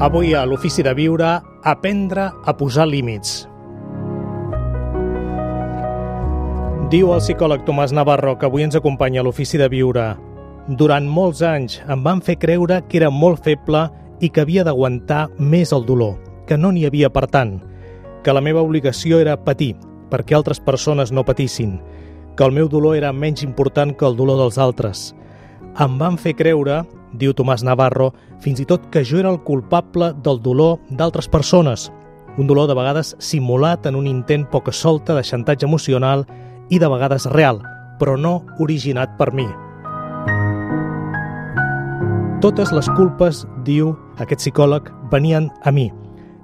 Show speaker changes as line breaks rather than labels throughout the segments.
Avui a l'Ofici de Viure, aprendre a posar límits. Diu el psicòleg Tomàs Navarro, que avui ens acompanya a l'Ofici de Viure: durant molts anys em van fer creure que era molt feble i que havia d'aguantar més el dolor, que no n'hi havia per tant, que la meva obligació era patir perquè altres persones no patissin, que el meu dolor era menys important que el dolor dels altres. Em van fer creure, diu Tomàs Navarro, fins i tot que jo era el culpable del dolor d'altres persones, un dolor de vegades simulat en un intent poca solta de xantatge emocional i de vegades real, però no originat per mi. Totes les culpes, diu aquest psicòleg, venien a mi.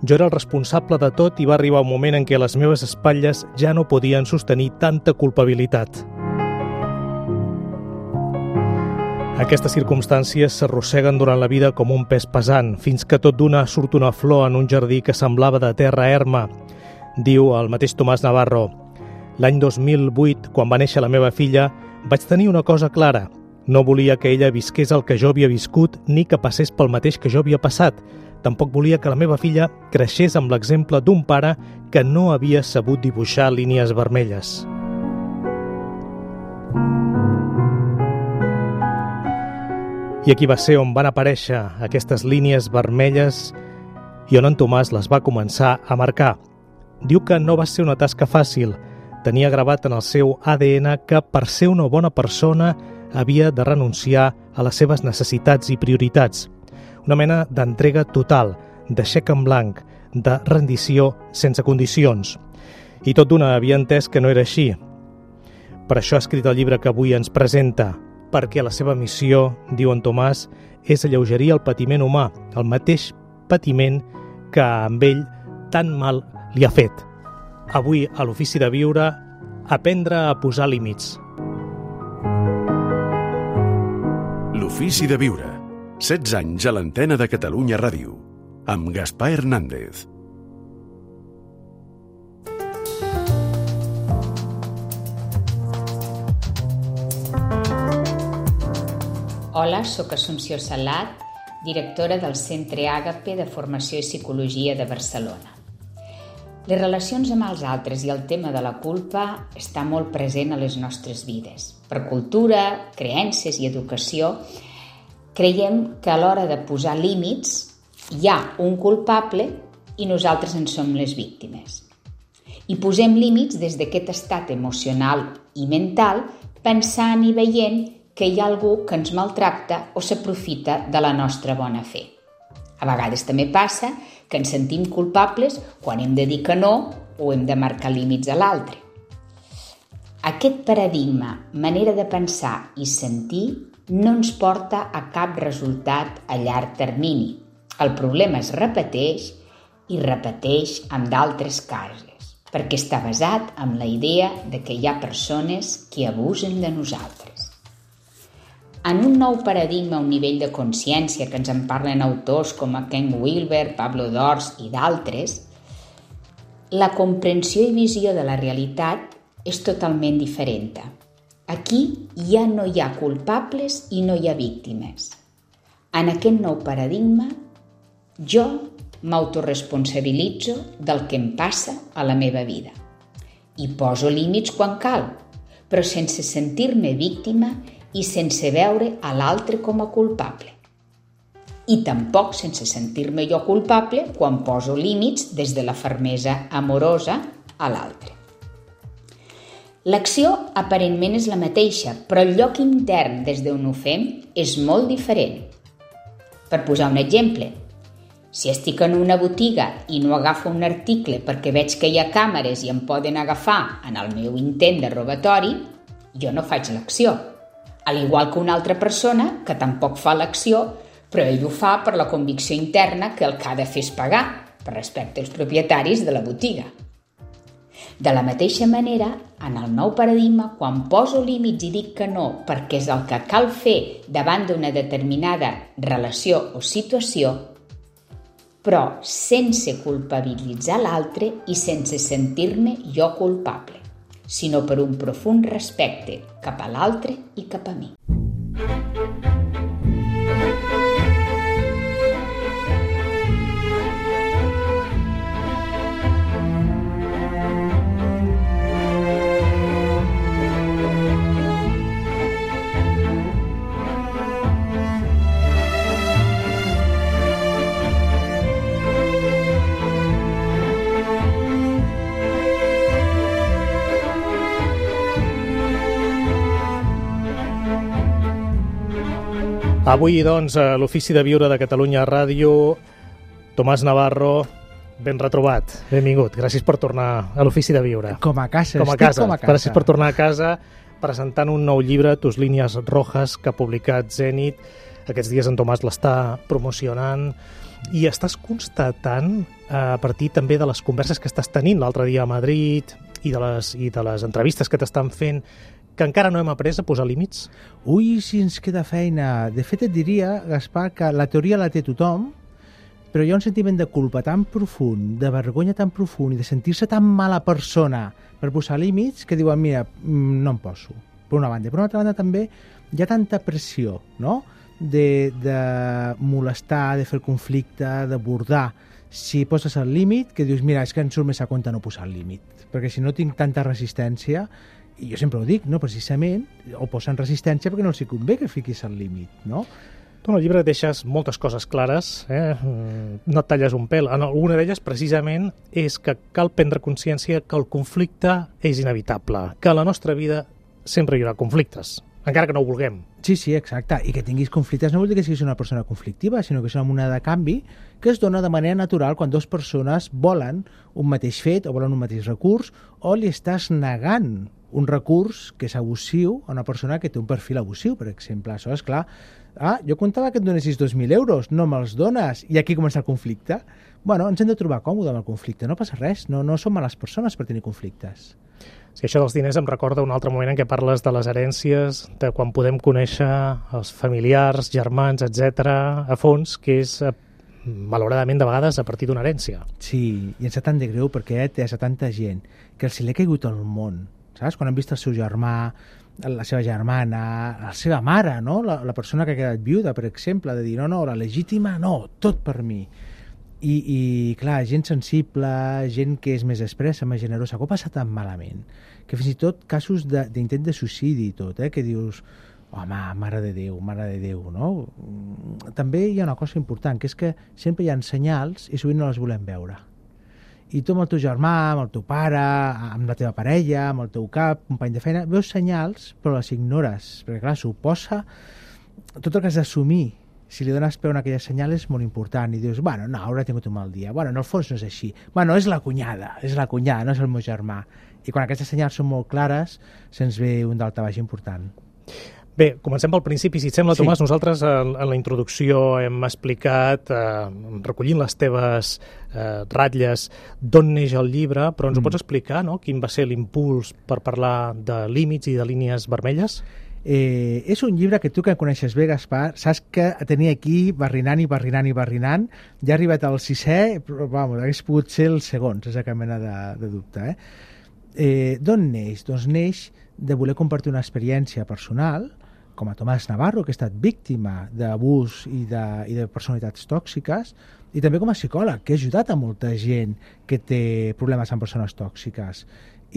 Jo era el responsable de tot i va arribar un moment en què les meves espatlles ja no podien sostenir tanta culpabilitat. Aquestes circumstàncies s'arrosseguen durant la vida com un pes pesant, fins que tot d'una surt una flor en un jardí que semblava de terra erma, diu el mateix Tomàs Navarro. L'any 2008, quan va néixer la meva filla, vaig tenir una cosa clara. No volia que ella visqués el que jo havia viscut ni que passés pel mateix que jo havia passat. Tampoc volia que la meva filla creixés amb l'exemple d'un pare que no havia sabut dibuixar línies vermelles. I aquí va ser on van aparèixer aquestes línies vermelles i on en Tomàs les va començar a marcar. Diu que no va ser una tasca fàcil. Tenia gravat en el seu ADN que per ser una bona persona havia de renunciar a les seves necessitats i prioritats. Una mena d'entrega total, de xec en blanc, de rendició sense condicions. I tot d'una havia entès que no era així. Per això ha escrit el llibre que avui ens presenta, perquè la seva missió, diu en Tomàs, és alleugerir el patiment humà, el mateix patiment que amb ell tan mal li ha fet. Avui, a l'Ofici de Viure, aprendre a posar límits.
L'Ofici de Viure. 16 anys a l'antena de Catalunya Ràdio. Amb Gaspar Hernández.
Hola, sóc Assumpció Salat, directora del Centre Àgape de Formació i Psicologia de Barcelona. Les relacions amb els altres i el tema de la culpa està molt present a les nostres vides. Per cultura, creences i educació, creiem que a l'hora de posar límits hi ha un culpable i nosaltres en som les víctimes. I posem límits des d'aquest estat emocional i mental, pensant i veient que hi ha algú que ens maltracta o s'aprofita de la nostra bona fe. A vegades també passa que ens sentim culpables quan hem de dir que no o hem de marcar límits a l'altre. Aquest paradigma, manera de pensar i sentir, no ens porta a cap resultat a llarg termini. El problema es repeteix i repeteix amb d'altres cases, perquè està basat en la idea de que hi ha persones que abusen de nosaltres. En un nou paradigma a un nivell de consciència que ens en parlen autors com Ken Wilber, Pablo Dors i d'altres, la comprensió i visió de la realitat és totalment diferent. Aquí ja no hi ha culpables i no hi ha víctimes. En aquest nou paradigma, jo m'autoresponsabilitzo del que em passa a la meva vida i poso límits quan cal, però sense sentir-me víctima i sense veure a l'altre com a culpable. I tampoc sense sentir-me jo culpable quan poso límits des de la fermesa amorosa a l'altre. L'acció aparentment és la mateixa, però el lloc intern des d'on ho fem és molt diferent. Per posar un exemple, si estic en una botiga i no agafo un article perquè veig que hi ha càmeres i em poden agafar en el meu intent de robatori, jo no faig l'acció. Al igual que una altra persona que tampoc fa l'acció, però ell ho fa per la convicció interna que el que ha de fer és pagar, per respecte als propietaris de la botiga. De la mateixa manera, en el nou paradigma, quan poso límits i dic que no perquè és el que cal fer davant d'una determinada relació o situació, però sense culpabilitzar l'altre i sense sentir-me jo culpable, sinó per un profund respecte cap a l'altre i cap a mi.
Avui, doncs, a l'Ofici de Viure de Catalunya Ràdio, Tomàs Navarro, ben retrobat, benvingut. Gràcies per tornar a l'Ofici de Viure.
Com a casa,
com a casa. Gràcies per tornar a casa presentant un nou llibre, Tus línies rojas, que ha publicat Zenit. Aquests dies en Tomàs l'està promocionant i estàs constatant, a partir també de les converses que estàs tenint l'altre dia a Madrid i de les entrevistes que t'estan fent, que encara no hem après a posar límits?
Ui, si ens queda feina. De fet, et diria, Gaspar, que la teoria la té tothom, però hi ha un sentiment de culpa tan profund, de vergonya tan profund i de sentir-se tan mala persona per posar límits que diuen, mira, no em poso, per una banda. Per una altra banda també hi ha tanta pressió, no?, de molestar, de fer el conflicte, d'abordar. Si poses el límit, que dius, mira, és que em surt més a compte no posar el límit, perquè si no tinc tanta resistència, i jo sempre ho dic, no, precisament, o posen resistència perquè no els convé que fiquis el límit, no?
Tu en el llibre deixes moltes coses clares, no et talles un pèl. En alguna d'elles, precisament, és que cal prendre consciència que el conflicte és inevitable, que a la nostra vida sempre hi haurà conflictes, encara que no ho vulguem.
Sí, exacte. I que tinguis conflictes no vol dir que siguis una persona conflictiva, sinó que és una moneda de canvi que es dona de manera natural quan dues persones volen un mateix fet o volen un mateix recurs, o li estàs negant un recurs que és abusiu a una persona que té un perfil abusiu, per exemple. Això és clar. Jo comptava que et donessis 2.000 euros, no me'ls dones, i aquí comença el conflicte. Bueno, ens hem de trobar còmode amb el conflicte, no passa res, no som males persones per tenir conflictes.
Sí, això dels diners em recorda un altre moment en què parles de les herències, de quan podem conèixer els familiars, germans, etc a fons, que és, malauradament, de vegades a partir d'una herència.
Sí, i ens sap tant de greu perquè té a tanta gent que els hi l'ha caigut al món, saps? Quan han vist el seu germà, la seva germana, la seva mare, no? La persona que ha quedat viuda, per exemple, de dir, no, la legítima, no, tot per mi. I clar, gent sensible, gent que és més expressa, més generosa, que ho passa tan malament, que fins i tot casos d'intent de suïcidi i tot, que dius, home, mare de Déu, no? També hi ha una cosa important, que és que sempre hi ha senyals i sovint no les volem veure. I tu amb el teu germà, amb el teu pare, amb la teva parella, amb el teu cap, company de feina, veus senyals però les ignores, perquè clar, suposa tot el que has d'assumir. Si li dones peu a aquella senyal és molt important i dius, bueno, no, haurà tingut un mal dia, bueno, en el fons no és així, bueno, és la cunyada, no és el meu germà. I quan aquestes senyals són molt clares, se'ns ve un daltabaix important.
Bé, comencem pel principi, si et sembla,
Sí.
Tomàs. Nosaltres en la introducció hem explicat, recollint les teves ratlles, d'on neix el llibre, però ens ho pots explicar, no?, quin va ser l'impuls per parlar de límits i de línies vermelles?
És un llibre que tu, que coneixes bé, Gaspar, saps que tenia aquí barrinant, ja ha arribat al 6è, però vamos, hagués pogut ser el segon, sense cap mena de dubte. D'on neix? Doncs neix de voler compartir una experiència personal, com a Tomàs Navarro, que ha estat víctima d'abús i de personalitats tòxiques, i també com a psicòleg, que ha ajudat a molta gent que té problemes amb persones tòxiques.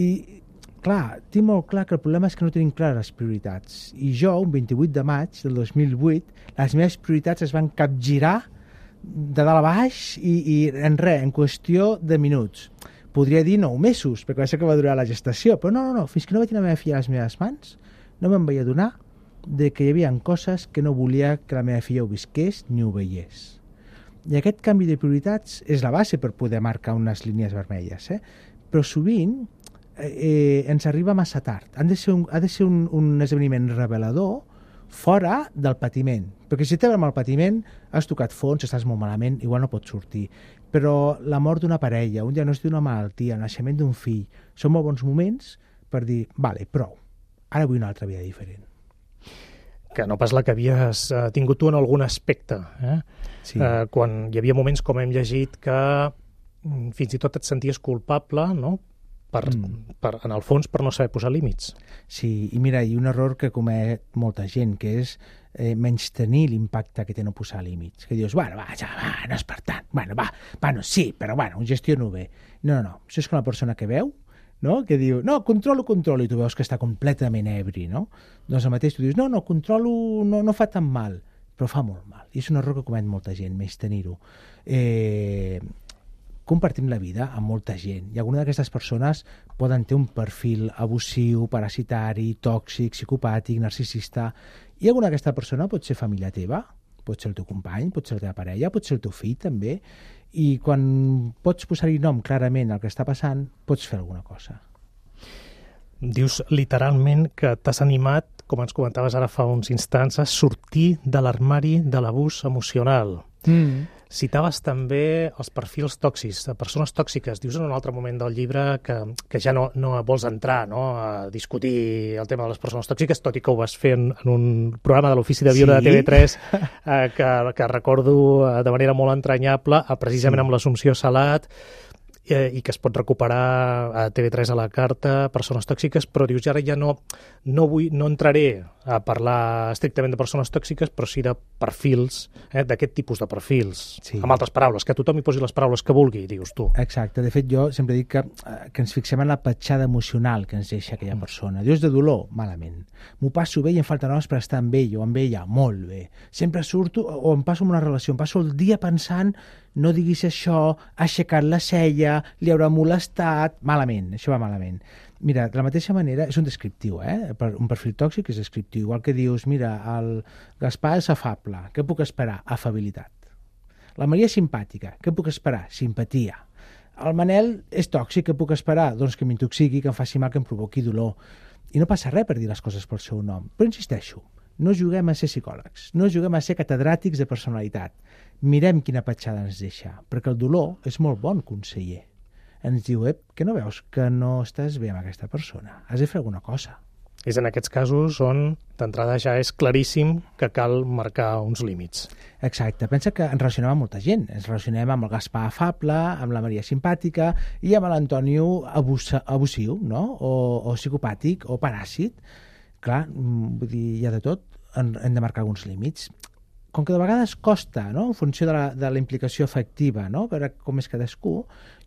I clar, tinc molt clar que el problema és que no tenim clares les prioritats. I jo, un 28 de maig del 2008, les meves prioritats es van capgirar de dalt a baix i en res, en qüestió de minuts. Podria dir 9 mesos, perquè va ser que va durar la gestació, però no, fins que no vaig tenir la meva filla a les meves mans, no me'n vaig adonar de que hi havia coses que no volia que la meva filla ho visqués ni ho veiés. I aquest canvi de prioritats és la base per poder marcar unes línies vermelles, però sovint ens arriba massa tard. Ha de ser un esdeveniment revelador fora del patiment, perquè si t'abrem el patiment has tocat fons, estàs molt malament, igual no pots sortir, però la mort d'una parella, un diagnòstic d'una malaltia, el naixement d'un fill, són molt bons moments per dir, vale, prou, ara vull una altra vida diferent.
Que no pas la que havies tingut tu en algun aspecte.
Sí.
Quan hi havia moments, com hem llegit, que fins i tot et senties culpable, no?, en el fons, per no saber posar límits. Sí,
i mira, hi ha un error que comet molta gent, que és menystenir l'impacte que té no posar límits. Que dius, bueno, no és per tant, bueno, sí, però bueno, ho gestiono bé. No, això és com la persona que veu, no?, que diu, no, controlo, i tu veus que està completament ebri, no? Doncs el mateix tu dius, no, controlo, no fa tan mal, però fa molt mal. I és un error que comet molta gent, menystenir-ho. compartim la vida amb molta gent i alguna d'aquestes persones poden tenir un perfil abusiu, parasitari, tòxic, psicopàtic, narcisista, i alguna d'aquesta persona pot ser família teva, pot ser el teu company, pot ser la teva parella, pot ser el teu fill també, i quan pots posar-hi nom clarament al que està passant, pots fer alguna cosa.
Dius literalment que t'has animat, com ens comentaves ara fa uns instants, a sortir de l'armari de l'abús emocional. Citaves també els perfils tòxics, de persones tòxiques. Dius en un altre moment del llibre que ja no vols entrar, no, a discutir el tema de les persones tòxiques, tot i que ho vas fer en un programa de l'Ofici de Viure de TV3 que recordo de manera molt entranyable, precisament amb l'Assumpció Salat, i que es pot recuperar a TV3 a la carta, persones tòxiques, però dius, ara ja no entraré a parlar estrictament de persones tòxiques, però sí de perfils, d'aquest tipus de perfils. Sí. Amb altres paraules, que tothom hi posi les paraules que vulgui, dius tu.
Exacte. De fet, jo sempre dic que ens fixem en la petjada emocional que ens deixa aquella persona. Dius de dolor, malament. M'ho passo bé i em falten hores per estar amb ell o amb ella, molt bé. Sempre surto o em passo en una relació, em passo el dia pensant no diguis això, ha aixecat la cella, li haurà molestat, malament, això va malament. Mira, de la mateixa manera, és un descriptiu, un perfil tòxic és descriptiu, igual que dius, mira, el Gaspar és afable, què puc esperar? Afabilitat. La Maria és simpàtica, què puc esperar? Simpatia. El Manel és tòxic, què puc esperar? Doncs que m'intoxiqui, que em faci mal, que em provoqui dolor. I no passa res per dir les coses pel seu nom, però insisteixo, no juguem a ser psicòlegs, no juguem a ser catedràtics de personalitat. Mirem quina petjada ens deixa, perquè el dolor és molt bon conseller. Ens diu, que no veus que no estàs bé amb aquesta persona? Has de fer alguna cosa.
És en aquests casos on, d'entrada, ja és claríssim que cal marcar uns límits.
Exacte. Pensa que ens relacionem amb molta gent. Ens relacionem amb el Gaspar afable, amb la Maria simpàtica i amb l'Antonio abusiu, no? O psicopàtic o paràsit. Clar, vull dir, hi ha de tot. Hem de marcar alguns límits. Com que de vegades costa, no? En funció de la implicació afectiva, no? Veure com és cadascú,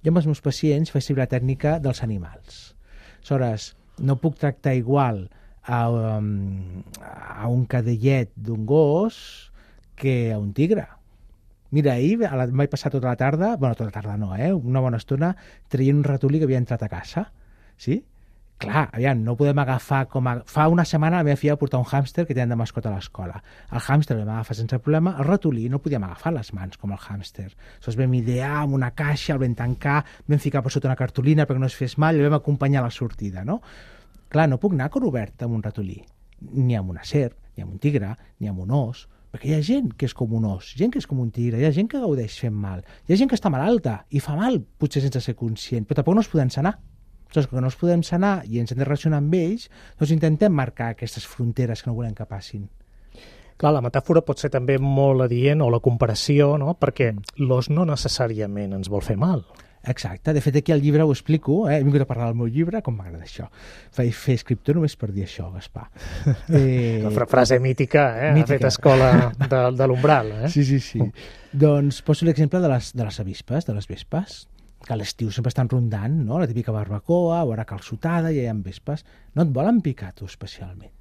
jo amb els meus pacients faig servir la tècnica dels animals. Aleshores, no puc tractar igual a un cadellet d'un gos que a un tigre. Mira, ahir vaig passar tota la tarda, tota la tarda no, una bona estona, traient un ratolí que havia entrat a casa, sí? Clar, aviam, no podem agafar Fa una setmana la meva filla va portar un hàmster que tenen de mascota a l'escola. El hàmster el vam agafar sense problema, el ratolí no podíem agafar les mans com el hàmster. Aleshores vam idear amb una caixa, el vam tancar, vam ficar per sota una cartolina perquè no es fes mal i el vam acompanyar a la sortida, no? Clar, no puc anar a cor obert amb un ratolí, ni amb una serp, ni amb un tigre, ni amb un os, perquè hi ha gent que és com un os, gent que és com un tigre, hi ha gent que gaudeix fent mal, hi ha gent que està malalta i fa mal, potser sense ser conscient, però tampoc no es podem sanar. Doncs que no els podem sanar i ens hem de relacionar amb ells, doncs intentem marcar aquestes fronteres que no volem que passin.
Clar, la metàfora pot ser també molt adient, o la comparació, no? Perquè l'os no necessàriament ens vol fer mal.
Exacte. De fet, aquí al llibre ho explico, he vingut a parlar del meu llibre, com m'agrada això. Vaig fer escriptor només per dir això, Gaspar.
La frase mítica, mítica. Ha fet escola de l'umbral.
Sí. Doncs poso l'exemple de les avispes, de les vespes, que a l'estiu sempre estan rondant, no? La típica barbacoa o ara calçotada, i hi ha vespes. No et volen picar, tu, especialment.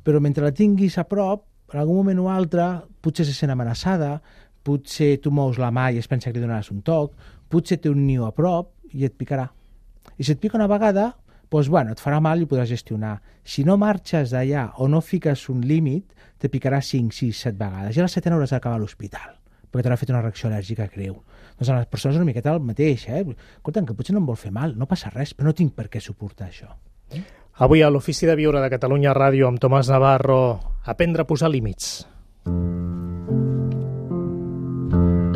Però mentre la tinguis a prop, en algun moment o altre, potser se sent amenaçada, potser tu mous la mà i es pensa que li donaràs un toc, potser té un niu a prop i et picarà. I si et pica una vegada, doncs, et farà mal i ho podràs gestionar. Si no marxes d'allà o no fiques un límit, te picarà 5, 6, 7 vegades. I a la 7ena hauràs d'acabar a l'hospital, perquè t'haurà fet una reacció al·lèrgica greu. Doncs a les persones una miqueta el mateix, Escolta'm, que potser no em vol fer mal, no passa res, però no tinc per què suportar això.
Avui a l'Ofici de Viure de Catalunya Ràdio amb Tomàs Navarro, aprendre a posar límits.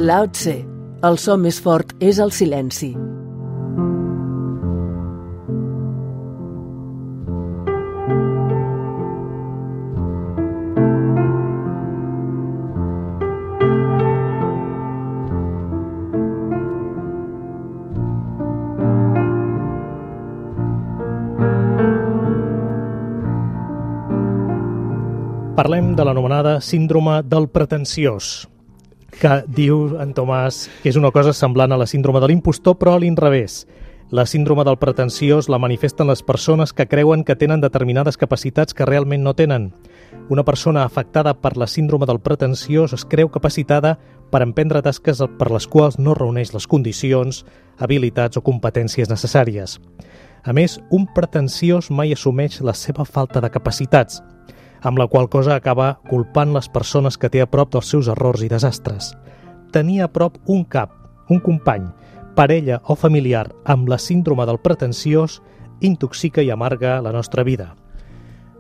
Lao Tse, el so més fort és el silenci.
Parlem de l'anomenada síndrome del pretensiós, que diu en Tomàs que és una cosa semblant a la síndrome de l'impostor, però a l'inrevés. La síndrome del pretensiós la manifesten les persones que creuen que tenen determinades capacitats que realment no tenen. Una persona afectada per la síndrome del pretensiós es creu capacitada per emprendre tasques per les quals no reuneix les condicions, habilitats o competències necessàries. A més, un pretensiós mai assumeix la seva falta de capacitats, amb la qual cosa acaba culpant les persones que té a prop dels seus errors i desastres. Tenir a prop un cap, un company, parella o familiar amb la síndrome del pretensiós intoxica i amarga la nostra vida.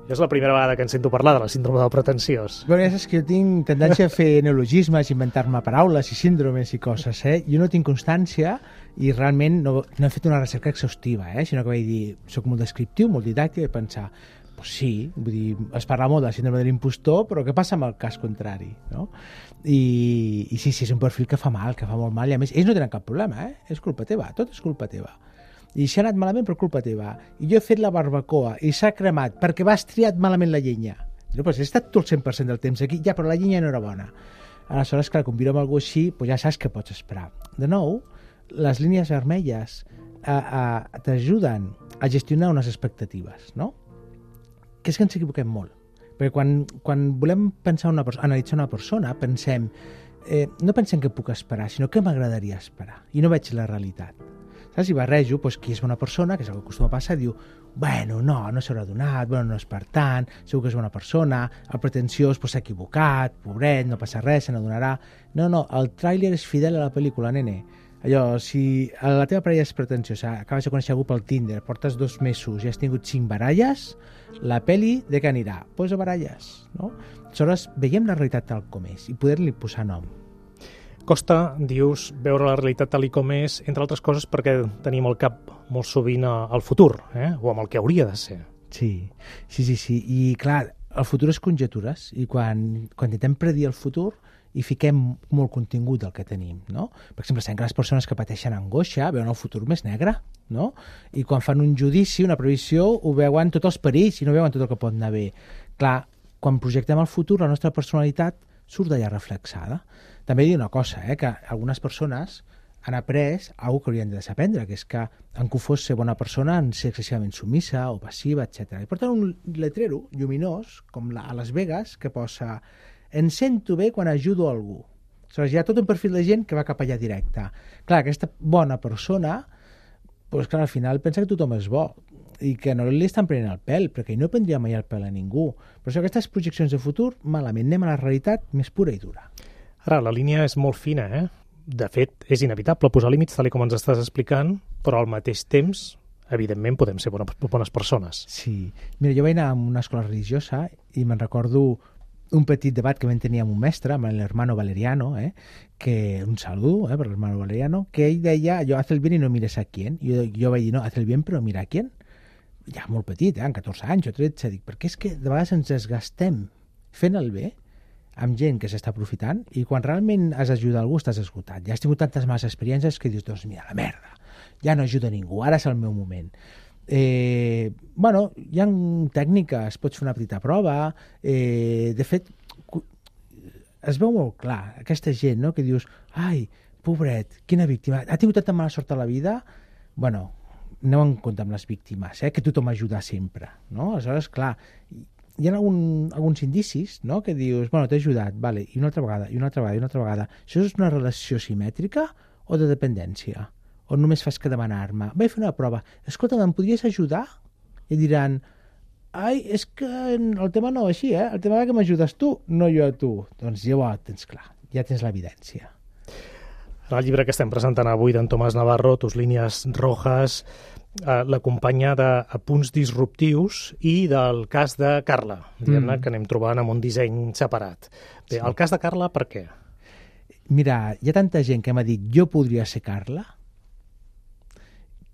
És la primera vegada que en sento parlar de la síndrome del pretensiós.
Bueno, ja saps que jo tinc tendència a fer neologismes, inventar-me paraules i síndromes i coses, Jo no tinc constància i realment no he fet una recerca exhaustiva, sinó que vaig dir, soc molt descriptiu, molt didàctic, i pensar, pues sí, vull dir, es parla molt de la síndrome de l'impostor, però què passa amb el cas contrari, no? I sí, és un perfil que fa mal, que fa molt mal, i a més, ells no tenen cap problema, és culpa teva, tot és culpa teva. I si ha anat malament per culpa teva, i jo he fet la barbacoa i s'ha cremat perquè vas triat malament la llenya. No, doncs he estat tu el 100% del temps aquí, ja, però la llenya no era bona. Aleshores, clar, quan viure amb algú així, doncs ja saps què pots esperar. De nou, les línies vermelles t'ajuden a gestionar unes expectatives, no? Que és que ens equivoquem molt. Perquè quan volem pensar analitzar una persona, pensem, no pensem què puc esperar, sinó què m'agradaria esperar. I no veig la realitat. Saps? I barrejo, qui és bona persona, que és el que acostuma a passar, diu, bueno, no s'haurà donat, no és per tant, segur que és bona persona, el pretensiós s'ha equivocat, pobret, no passa res, se n'adonarà. No, el tràiler és fidel a la pel·lícula, nene. Allò, si la teva parella és pretensiosa, acabes de conèixer algú pel Tinder, portes 2 mesos i has tingut 5 baralles, la pel·li de què anirà? Doncs a baralles, no? Aleshores, veiem la realitat tal com és i poder-li posar nom.
Costa, dius, veure la realitat tal com és, entre altres coses perquè tenim el cap molt sovint al futur, o amb el que hauria de ser.
Sí. I clar, el futur és conjectures, i quan intentem predir el futur hi fiquem molt contingut del que tenim, no? Per exemple, sabem que les persones que pateixen angoixa veuen el futur més negre, no? I quan fan un judici, una previsió, ho veuen tots els perills i no veuen tot el que pot anar bé. Clar, quan projectem el futur, la nostra personalitat surt d'allà reflexada. També dir una cosa, que algunes persones han après alguna que haurien de desaprendre, que és que en confós ser bona persona en ser excessivament sumissa o passiva, etc. I porten un letrero lluminós, com a Las Vegas, que posa «Em sento bé quan ajudo algú». Aleshores, hi ha tot un perfil de gent que va cap allà directe. Clar, aquesta bona persona, doncs clar, al final pensa que tothom és bo i que no li estan prenent el pèl, perquè no prendria mai el pèl a ningú. Per això aquestes projeccions de futur, malament, anem a la realitat més pura i dura.
Ara, la línia és molt fina, De fet, és inevitable posar límits, tal com ens estàs explicant, però al mateix temps, evidentment, podem ser bones persones.
Sí. Mira, jo vaig anar a una escola religiosa i me'n recordo un petit debat que vam tenir amb un mestre, amb l'hermano Valeriano, que un saludo per l'hermano Valeriano, que ell deia, haz el bien y no mires a quién. Jo vaig dir, no, haz el bien però mira a quién. Ja molt petit, amb 14 anys o 13, dic, perquè és que de vegades ens desgastem fent el bé amb gent que s'està aprofitant i quan realment has d'ajudar algú estàs esgotat. Ja has tingut tantes males experiències que dius, doncs mira, la merda, ja no ajuda ningú, ara és el meu moment. Bueno, hi ha tècniques, pots fer una petita prova, de fet, es veu molt clar, aquesta gent, no?, que dius, ai, pobret, quina víctima, ha tingut tanta mala sort a la vida, bueno, aneu en compte amb les víctimes, que tothom ajuda sempre, no? Aleshores, clar, hi ha alguns indicis, no?, que dius, bueno, t'he ajudat, vale, i una altra vegada, i una altra vegada, i una altra vegada. Això és una relació simètrica o de dependència? O només fas que demanar-me? Vaig fer una prova. Escolta, em podries ajudar? I diran, ai, és que el tema no va així, el tema va que m'ajudes tu, no jo a tu. Doncs ja ho tens clar, ja tens l'evidència.
En el llibre que estem presentant avui d'en Tomàs Navarro, Tus línies rojas, l'acompanya de punts disruptius i del cas de Carla, diguem-ne, que anem trobant amb un disseny separat. Bé, el cas de Carla, per què?
Mira, hi ha tanta gent que m'ha dit jo podria ser Carla,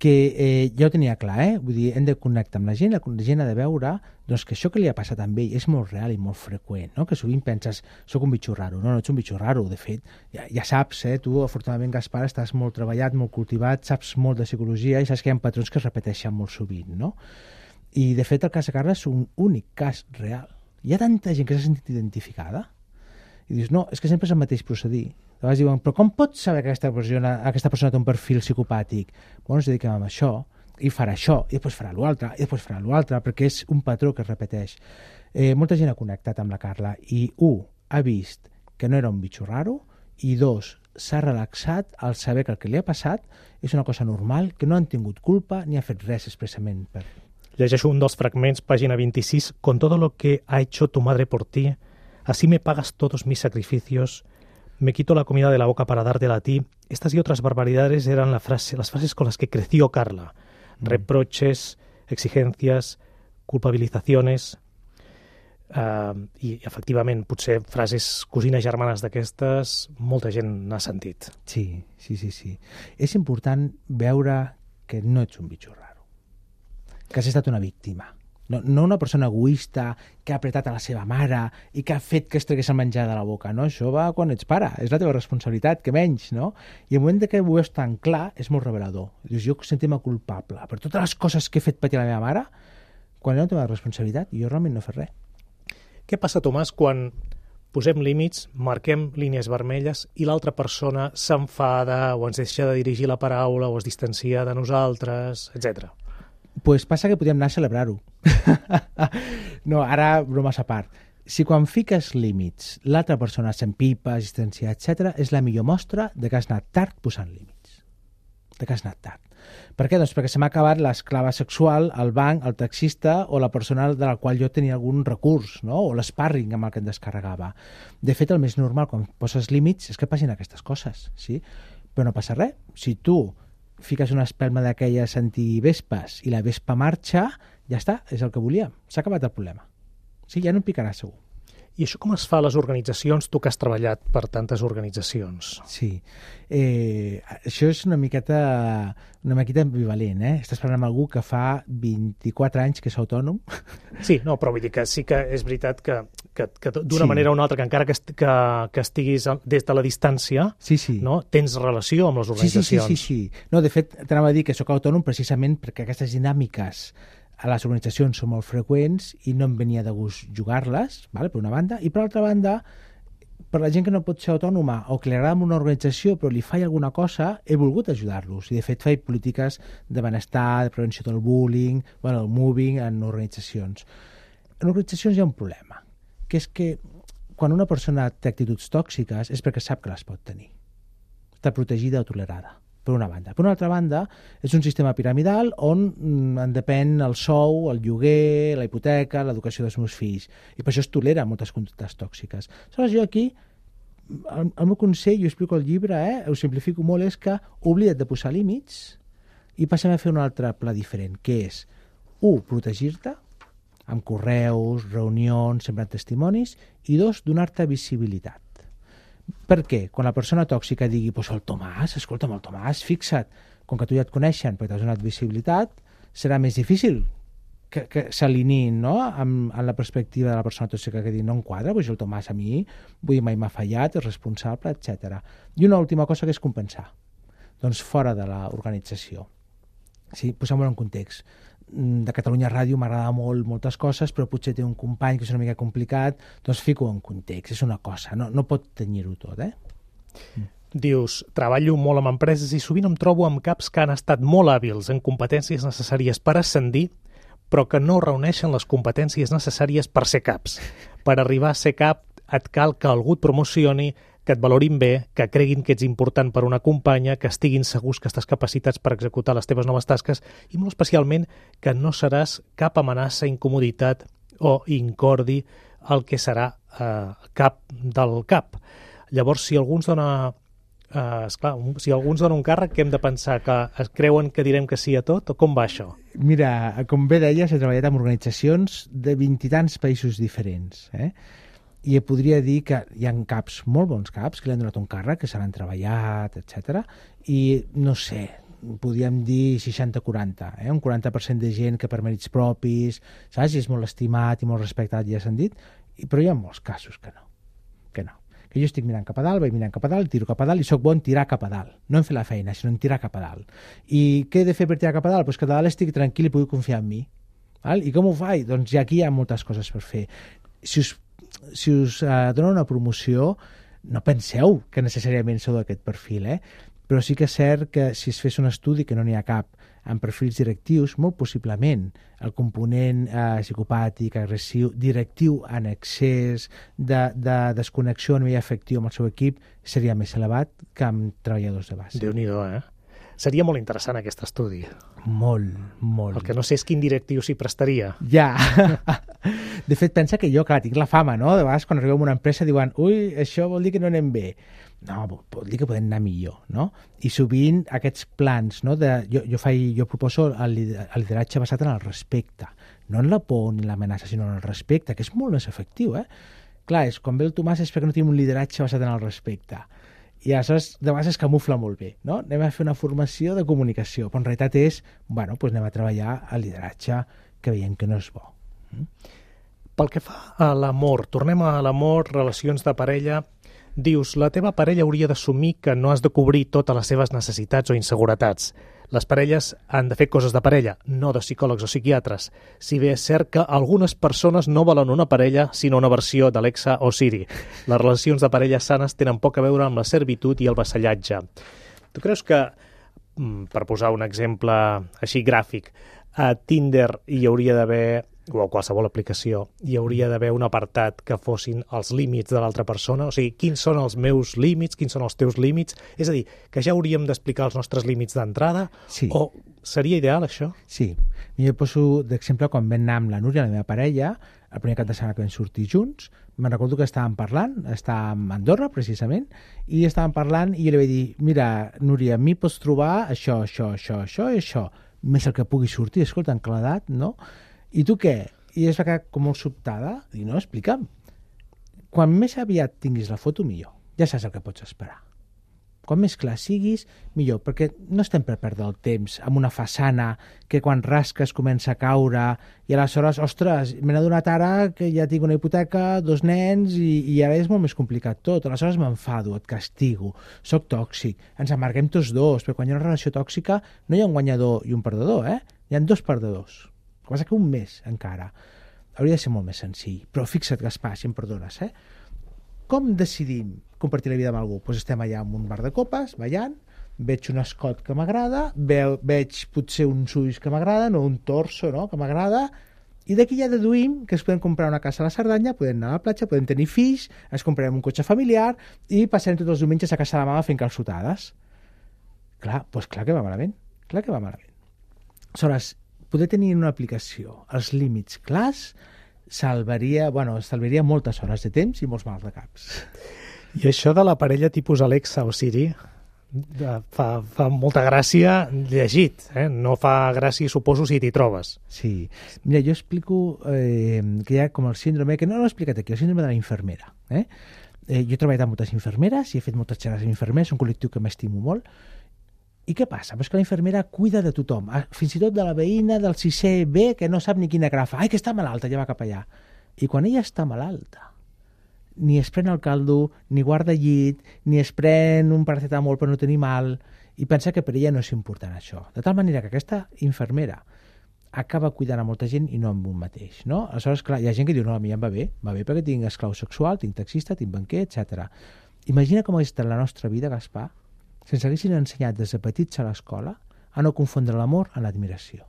que ja ho tenia clar, vull dir, hem de connectar amb la gent ha de veure doncs, que això que li ha passat amb ell és molt real i molt freqüent, no? Que sovint penses, soc un bitxo raro, no ets un bitxo raro, de fet, ja saps, tu, afortunadament, Gaspar, estàs molt treballat, molt cultivat, saps molt de psicologia i saps que hi ha patrons que es repeteixen molt sovint, no? I, de fet, el cas de Carla és un únic cas real. Hi ha tanta gent que s'ha sentit identificada i dius, no, és que sempre és el mateix procedir. De vegades diuen, però com pots saber que aquesta persona té un perfil psicopàtic? Bueno, ens dediquem a això, i farà això, i després farà l'altre, i després farà l'altre, perquè és un patró que es repeteix. Molta gent ha connectat amb la Carla i ha vist que no era un bitxo raro I 2, s'ha relaxat al saber que el que li ha passat és una cosa normal, que no han tingut culpa ni ha fet res expressament per...
Llegeixo un dels fragments, pàgina 26. Con todo lo que ha hecho tu madre por ti, así me pagas todos mis sacrificios, me quito la comida de la boca para dártela a ti. Estas y otras barbaridades eran las frases con las que creció Carla. Reproches, exigencias, culpabilizaciones... I efectivament, potser frases cosines germanes d'aquestes molta gent n'ha sentit.
Sí. És important veure que no ets un bitxo raro, que has estat una víctima, no una persona egoista que ha apretat a la seva mare i que ha fet que es tregués el menjar de la boca, no? Això va quan ets pare, és la teva responsabilitat, que menys, no? I el moment que ho veus tan clar és molt revelador. Dius, jo sentim-me culpable per totes les coses que he fet patir a la meva mare, quan era una teva responsabilitat, jo realment no he fet res.
Què passa, Tomàs, quan posem límits, marquem línies vermelles i l'altra persona s'enfada o ens deixa de dirigir la paraula o es distancia de nosaltres, etc.
Pues passa que podríem anar a celebrar-ho. No, ara bromes a part. Si quan fiques límits l'altra persona s'empipa, es distancia, etc., és la millor mostra de que has anat tard posant límits. De que has anat tard. Per què? Doncs perquè se m'ha acabat l'esclava sexual, el banc, el taxista o la persona de la qual jo tenia algun recurs, no? O l'sparring amb el que em descarregava. De fet, el més normal quan poses límits és que passin aquestes coses, sí? Però no passa res. Si tu fiques una espelma d'aquelles antivespes i la vespa marxa, ja està, és el que volíem. S'ha acabat el problema. Sí, ja no em picarà segur.
I això com es fa a les organitzacions, tu que has treballat per tantes organitzacions?
Sí, això és una miqueta ambivalent, eh? Estàs parlant amb algú que fa 24 anys que és autònom.
Sí, no, però vull dir que sí que és veritat que d'una manera o una altra, que encara que estiguis des de la distància, no, tens relació amb les organitzacions.
Sí. No, de fet, t'anava a dir que sóc autònom precisament perquè aquestes dinàmiques a les organitzacions són molt freqüents i no em venia de gust jugar-les, per una banda, i per l'altra banda, per la gent que no pot ser autònoma o que li agrada una organització però li falla alguna cosa, he volgut ajudar-los. I de fet faig polítiques de benestar, de prevenció del bullying, el moving en organitzacions. En organitzacions hi ha un problema, que és que quan una persona té actituds tòxiques és perquè sap que les pot tenir. Està protegida o tolerada. Per una banda. Per una altra banda, és un sistema piramidal on en depèn el sou, el lloguer, la hipoteca, l'educació dels meus fills. I per això es tolera moltes conductes tòxiques. Aleshores, jo aquí, el meu consell, jo explico al llibre, ho simplifico molt, és que oblida't de posar límits i passem a fer un altre pla diferent, que és, 1, protegir-te, amb correus, reunions, sembrant testimonis, i 2, donar-te visibilitat. Per què? Quan la persona tòxica digui el Tomàs, escolta'm, el Tomàs, fixa't, com que tu ja et coneixen perquè t'has donat visibilitat, serà més difícil que s'alineïn, no? amb la perspectiva de la persona tòxica que digui no em quadra, el Tomàs a mi mai m'ha fallat, és responsable, etc. I una última cosa que és compensar. Doncs fora de l'organització. Sí, posem-ho en context. De Catalunya Ràdio m'agrada molt moltes coses, però potser té un company que és una mica complicat, doncs fico en context, és una cosa, no pot tenir-ho tot,
Dius, treballo molt amb empreses i sovint em trobo amb caps que han estat molt hàbils en competències necessàries per ascendir, però que no reuneixen les competències necessàries per ser caps. Per arribar a ser cap et cal que algú et promocioni, que et valorin bé, que creguin que ets important per una companya, que estiguin segurs que estàs capacitats per executar les teves noves tasques i molt especialment que no seràs cap amenaça, incomoditat o incordi el que serà cap del cap. Llavors, si algú ens dona si algú ens dona un càrrec, que hem de pensar que creuen que direm que sí a tot o com va això?
Mira, com bé deies, he treballat amb organitzacions de 20 i tants països diferents, i podria dir que hi ha caps, molt bons caps, que li han donat un càrrec, que se l'han treballat, etc. I, no sé, podríem dir 60-40, un 40% de gent que per mèrits propis, saps? I és molt estimat i molt respectat, ja s'han dit, però hi ha molts casos que no. Que jo estic mirant cap a dalt, vaig mirant cap a dalt, tiro cap a dalt i sóc bon en tirar cap a dalt. No en fer la feina, sinó en tirar cap a dalt. I què he de fer per tirar cap a dalt? Doncs que a dalt estic tranquil i pugui confiar en mi. I com ho faig? Doncs aquí hi ha moltes coses per fer. Si us donen una promoció, no penseu que necessàriament sou d'aquest perfil, però sí que és cert que si es fes un estudi, que no n'hi ha cap, amb perfils directius, molt possiblement el component psicopàtic, agressiu, directiu en excés, de desconnexió a nivell afectiu amb el seu equip, seria més elevat que amb treballadors de base.
Déu-n'hi-do, Seria molt interessant aquest estudi.
Molt, molt.
El que no sé és quin directiu s'hi prestaria.
Ja. De fet, pensa que jo, clar, tinc la fama, no? De vegades, quan arribem a una empresa, diuen ui, això vol dir que no anem bé. No, vol dir que podem anar millor, no? I sovint aquests plans, no? Jo proposo el lideratge basat en el respecte. No en la por ni l'amenaça, sinó en el respecte, que és molt més efectiu, Clar, quan ve el Tomàs és perquè no tenim un lideratge basat en el respecte. I aleshores, de vegades es camufla molt bé, no? Anem a fer una formació de comunicació, però en realitat és, anem a treballar el lideratge que veiem que no és bo.
Pel que fa a l'amor, tornem a l'amor, relacions de parella. Dius, la teva parella hauria d'assumir que no has de cobrir totes les seves necessitats o inseguretats. Les parelles han de fer coses de parella, no de psicòlegs o psiquiatres. Si bé és cert que algunes persones no volen una parella, sinó una versió d'Alexa o Siri. Les relacions de parella sanes tenen poc a veure amb la servitud i el vassallatge. Tu creus que, per posar un exemple així gràfic, a Tinder hi hauria d'haver, o a qualsevol aplicació, hi hauria d'haver un apartat que fossin els límits de l'altra persona? O sigui, quins són els meus límits, quins són els teus límits? És a dir, que ja hauríem d'explicar els nostres límits d'entrada?
Sí.
O seria ideal, això?
Sí. Jo poso d'exemple quan vam anar amb la Núria, la meva parella, el primer cap de setmana que vam sortir junts, me'n recordo que estàvem parlant, estàvem a Andorra, precisament, i estàvem parlant i jo li vaig dir, mira, Núria, a mi pots trobar això i això, més el que pugui sortir, escolta, en claredat, no? I tu què? I es va quedar com molt sobtada. Dic, no, explica'm. Quan més aviat tinguis la foto, millor. Ja saps el que pots esperar. Quan més clar siguis, millor, perquè no estem per perdre el temps amb una façana que quan rasques comença a caure i aleshores, ostres, m'he adonat ara que ja tinc una hipoteca, 2 nens i ara és molt més complicat tot. Aleshores m'enfado, et castigo, soc tòxic, ens amarguem tots dos, perquè quan hi ha una relació tòxica no hi ha un guanyador i un perdedor, Hi ha 2 perdedors. El que passa que un més, encara. Hauria de ser molt més senzill. Però fixa't, Gaspar, si em perdones, Com decidim compartir la vida amb algú? Doncs estem allà en un bar de copes, ballant, veig un escot que m'agrada, veig potser uns ulls que m'agraden, o un torso, no?, que m'agrada, i d'aquí ja deduïm que es podem comprar una casa a la Cerdanya, podem anar a la platja, podem tenir fills, ens comprarem un cotxe familiar i passarem tots els diumenges a casa de la mama fent calçotades. Clar, doncs clar que va malament. Clar que va malament. Aleshores, poder tenir una aplicació els límits clars estalviaria moltes hores de temps i molts mals de caps.
I això de la parella tipus Alexa o Siri fa molta gràcia llegit, No fa gràcia, suposo, si t'hi trobes.
Sí. Mira, jo explico que hi ha com el síndrome, que no l'he explicat aquí, el síndrome de la infermera. Jo he treballat amb moltes infermeres i he fet moltes xerrades amb infermers, un col·lectiu que m'estimo molt. I què passa? Pues que la infermera cuida de tothom, fins i tot de la veïna del 6è B que no sap ni quina agafa. Ai, que està malalta, ja va cap allà. I quan ella està malalta, ni es pren el caldo, ni guarda llit, ni es pren un paracetamol per no tenir mal, i pensa que per ella no és important això. De tal manera que aquesta infermera acaba cuidant a molta gent i no amb un mateix, no? Aleshores, clar, hi ha gent que diu, no, a mi em va bé perquè tinc esclau sexual, tinc taxista, tinc banquer, etc. Imagina com hauria estat la nostra vida, Gaspar, si ens haguessin ensenyat des de petits a l'escola a no confondre l'amor amb l'admiració.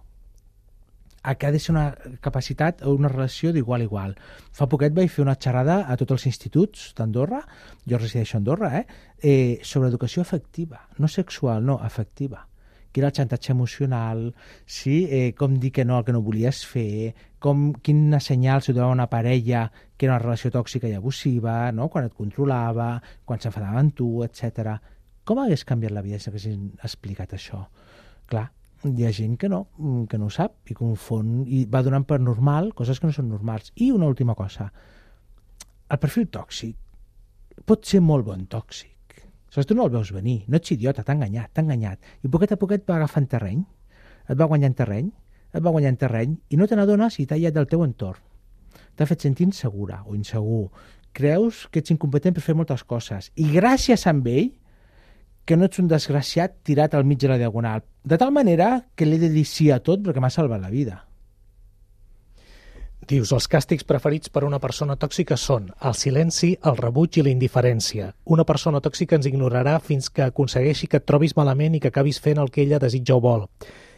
Que ha de ser una capacitat o una relació d'igual a igual. Fa poquet vaig fer una xerrada a tots els instituts d'Andorra, jo resideixo a Andorra, sobre educació afectiva, no sexual, no, afectiva. Que era el xantatge emocional, sí, com dir que no al que no volies fer, quina senyal s'ho donava una parella que era una relació tòxica i abusiva, no? Quan et controlava, quan s'enfadava amb tu, etc. Com hagués canviat la vida si haguessin explicat això? Clar, hi ha gent que no ho sap i confon i va donant per normal coses que no són normals. I una última cosa, el perfil tòxic pot ser molt bon tòxic. Aleshores, tu no el veus venir, no ets idiota, t'ha enganyat. I poquet a poquet va agafant terreny, et va guanyant terreny i no te n'adones i t'ha aïllat del teu entorn. T'ha fet sentir insegura o insegur. Creus que ets incompetent per fer moltes coses i gràcies a ell que no ets un desgraciat tirat al mig de la diagonal. De tal manera que l'he de dir sí a tot perquè m'ha salvat la vida.
Dius, els càstigs preferits per a una persona tòxica són el silenci, el rebuig i la indiferència. Una persona tòxica ens ignorarà fins que aconsegueixi que et trobis malament i que acabis fent el que ella desitja o vol.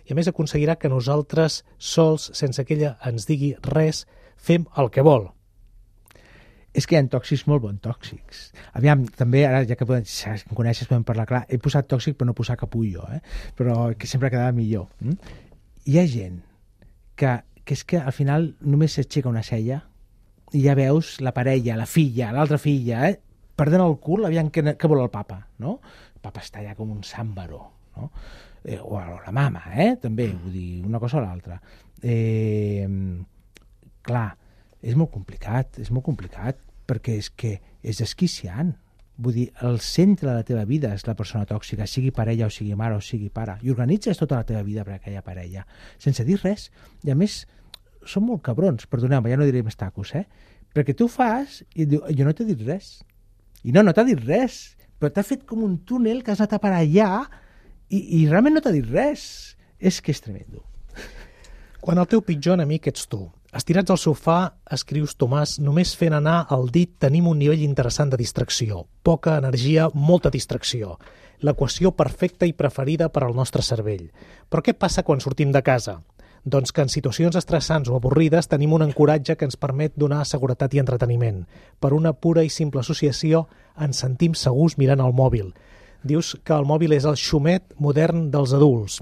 i a més aconseguirà que nosaltres sols, sense que ella ens digui res, fem el que vol.
És que hi ha tòxics molt bons tòxics. Aviam, també, ara ja que em coneixes, podem parlar clar, he posat tòxic per no posar capullo, però que sempre quedava millor. Hi ha gent que és que al final només s'aixeca una cella i ja veus la parella, la filla, l'altra filla, perdent el cul, aviam què vol el papa, no? El papa està ja com un sàmbaro, no? O la mama, també, vull dir, una cosa o l'altra. Clar, és molt complicat, perquè és que és desquiciant. Vull dir, el centre de la teva vida és la persona tòxica, sigui parella o sigui mare o sigui pare, i organitzes tota la teva vida per aquella parella, sense dir res. I a més, són molt cabrons, perdoneu-me, ja no diré més tacos, perquè tu fas i et diu, jo no t'he dit res. I no t'ha dit res, però t'ha fet com un túnel que has anat a parar allà i realment no t'ha dit res. És que és tremendo.
Quan el teu pitjor enemic ets tu, estirats al sofà, escrius, Tomàs, només fent anar el dit tenim un nivell interessant de distracció. Poca energia, molta distracció. L'equació perfecta i preferida per al nostre cervell. Però què passa quan sortim de casa? Doncs que en situacions estressants o avorrides tenim un ancoratge que ens permet donar seguretat i entreteniment. Per una pura i simple associació ens sentim segurs mirant el mòbil. Dius que el mòbil és el xumet modern dels adults.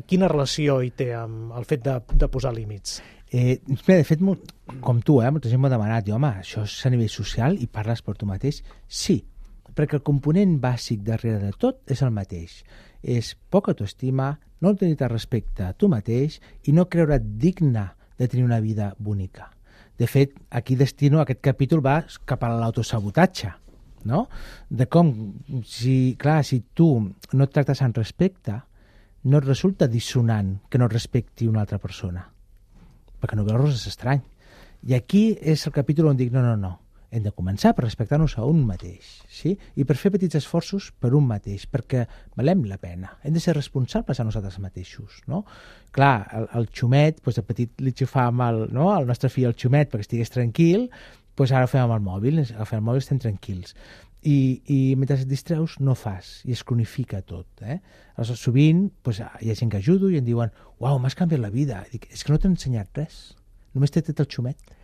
Quina relació hi té amb el fet de posar límits?
De fet, com tu, molta gent m'ha demanat, home, això és a nivell social i parles per tu mateix? Sí, perquè el component bàsic darrere de tot és el mateix. És poca autoestima, no tenir respecte a tu mateix i no creure't digne de tenir una vida bonica. De fet, aquí destino aquest capítol va cap a l'autosabotatge, no? De com, si tu no et tractes amb respecte, no et resulta dissonant que no et respecti una altra persona, perquè no veus res estrany. I aquí és el capítol on dic, no, hem de començar per respectar-nos a un mateix, sí? I per fer petits esforços per un mateix, perquè valem la pena. Hem de ser responsables a nosaltres mateixos, no? Clar, el xumet, de petit li xufàvem al nostre fill el xumet perquè estigués tranquil, ara ho fem amb el mòbil, agafem el mòbil, estem tranquils. I mentre et distreus no fas, i es cronifica tot. Aleshores, sovint hi ha gent que ajudo i em diuen, uau, m'has canviat la vida. I dic, és que no t'he ensenyat res, només t'he tret el xumet.